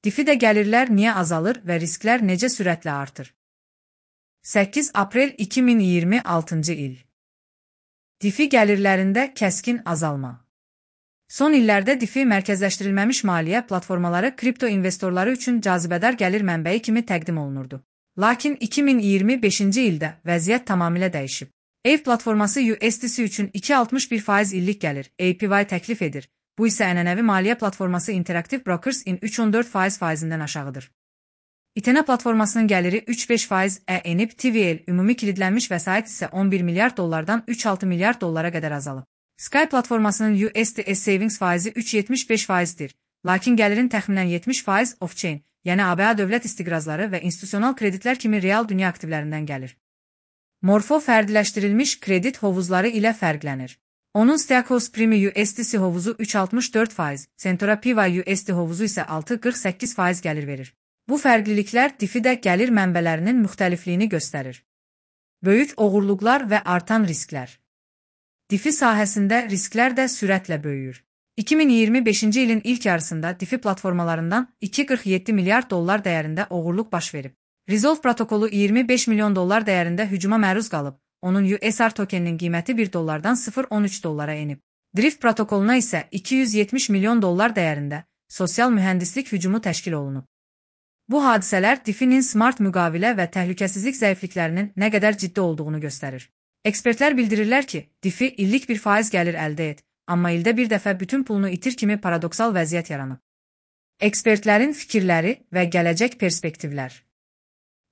DeFi'də gəlirlər niyə azalır və risklər necə sürətlə artır? 8 aprel 2026 il. DeFi gəlirlərində kəskin azalma. Son illərdə DeFi mərkəzləşdirilməmiş maliyyə platformaları kripto investorları üçün cazibədar gəlir mənbəyi kimi təqdim olunurdu. Lakin 2025-ci ildə vəziyyət tamamilə dəyişib. Aave platforması USDC üçün 2,61% illik gəlir, APY təklif edir. Bu isə ənənəvi maliyyə platforması Interactive Brokers-in 3,14% faizindən aşağıdır. Etena platformasının gəliri 3,5%-ə enib, TVL ümumi kilidlənmiş vəsait isə 11 milyard dollardan 3,6 milyard dollara qədər azalıb. Sky platformasının USDC Savings faizi 3,75%-dir, lakin gəlirin təxminən 70% off-chain, yəni ABA dövlət istiqrazları və institusional kreditlər kimi real dünya aktivlərindən gəlir. Morpho fərdiləşdirilmiş kredit hovuzları ilə fərqlənir. Onun Stakos Primi USDC hovuzu 3,64%, Centora PY USD hovuzu isə 6,48% gəlir verir. Bu fərqliliklər DeFi'də gəlir mənbələrinin müxtəlifliyini göstərir. Böyük oğurluqlar və artan risklər. DeFi sahəsində risklər də sürətlə böyüyür. 2025-ci ilin ilk yarısında DeFi platformalarından 2,47 milyard dollar dəyərində oğurluq baş verib. Resolve protokolu 25 milyon dollar dəyərində hücuma məruz qalıb, onun USR tokeninin qiyməti 1 dollardan 0,13 dollara enib. Drift protokoluna isə 270 milyon dollar dəyərində sosial mühəndislik hücumu təşkil olunub. Bu hadisələr DeFi'nin smart müqavilə və təhlükəsizlik zəifliklərinin nə qədər ciddi olduğunu göstərir. Ekspertlər bildirirlər ki, DeFi illik bir faiz gəlir əldə et, amma ildə bir dəfə bütün pulunu itir kimi paradoksal vəziyyət yaranıb. Ekspertlərin fikirləri və gələcək perspektivlər.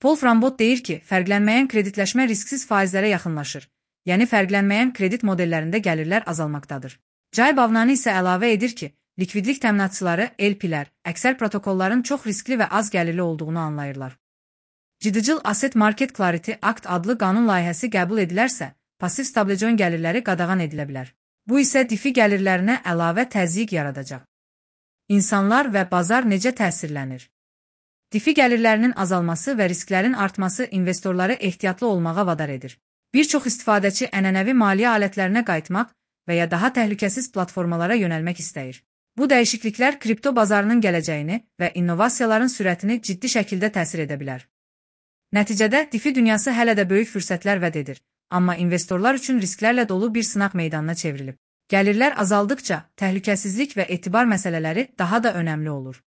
Paul Frambot deyir ki, fərqlənməyən kreditləşmə risksiz faizlərə yaxınlaşır, yəni fərqlənməyən kredit modellərində gəlirlər azalmaqdadır. Jay Bavnani isə əlavə edir ki, likvidlik təminatçıları, LP-lər, əksər protokolların çox riskli və az gəlirli olduğunu anlayırlar. Digital Asset Market Clarity Act adlı qanun layihəsi qəbul edilərsə, pasiv stablecoin gəlirləri qadağan edilə bilər. Bu isə DeFi gəlirlərinə əlavə təzyiq yaradacaq. İnsanlar və bazar necə təsirlənir? DeFi gəlirlərinin azalması və risklərin artması investorları ehtiyatlı olmağa vadar edir. Bir çox istifadəçi ənənəvi maliyyə alətlərinə qayıtmaq və ya daha təhlükəsiz platformalara yönəlmək istəyir. Bu dəyişikliklər kripto bazarının gələcəyini və innovasiyaların sürətini ciddi şəkildə təsir edə bilər. Nəticədə DeFi dünyası hələ də böyük fürsətlər vəd edir, amma investorlar üçün risklərlə dolu bir sınaq meydanına çevrilib. Gəlirlər azaldıkca təhlükəsizlik və etibar məsələləri daha da önəmli olur.